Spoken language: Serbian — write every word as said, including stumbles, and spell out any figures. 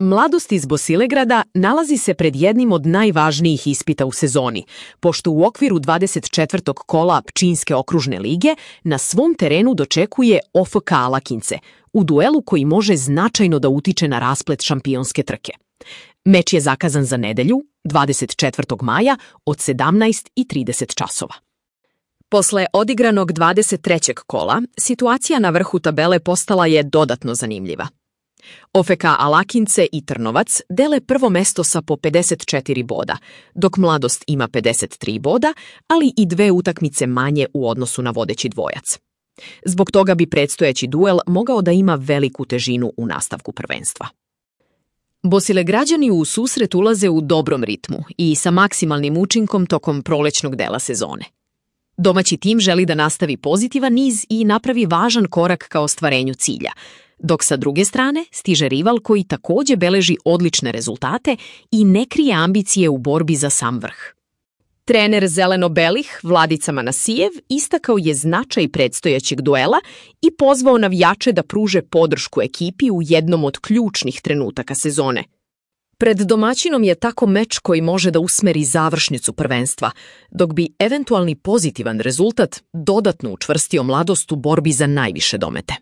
Mladost iz Bosilegrada nalazi se pred jednim od najvažnijih ispita u sezoni, pošto u okviru dvadeset četvrtog kola Pčinjske okružne lige na svom terenu dočekuje O F K Alakince, u duelu koji može značajno da utiče na rasplet šampionske trke. Meč je zakazan za nedelju, dvadeset četvrtog maja od sedamnaest i trideset časova. Posle odigranog dvadeset trećeg kola, situacija na vrhu tabele postala je dodatno zanimljiva. O F K Alakince i Trnovac dele prvo mesto sa po pedeset četiri boda, dok Mladost ima pedeset tri boda, ali i dve utakmice manje u odnosu na vodeći dvojac. Zbog toga bi predstojeći duel mogao da ima veliku težinu u nastavku prvenstva. Bosilegrađani u susret ulaze u dobrom ritmu i sa maksimalnim učinkom tokom prolećnog dela sezone. Domaći tim želi da nastavi pozitivan niz i napravi važan korak ka ostvarenju cilja, dok sa druge strane stiže rival koji takođe beleži odlične rezultate i ne krije ambicije u borbi za sam vrh. Trener zeleno-belih Vladica Manasijev istakao je značaj predstojećeg duela i pozvao navijače da pruže podršku ekipi u jednom od ključnih trenutaka sezone. Pred domaćinom je tako meč koji može da usmeri završnicu prvenstva, dok bi eventualni pozitivan rezultat dodatno učvrstio Mladost u borbi za najviše domete.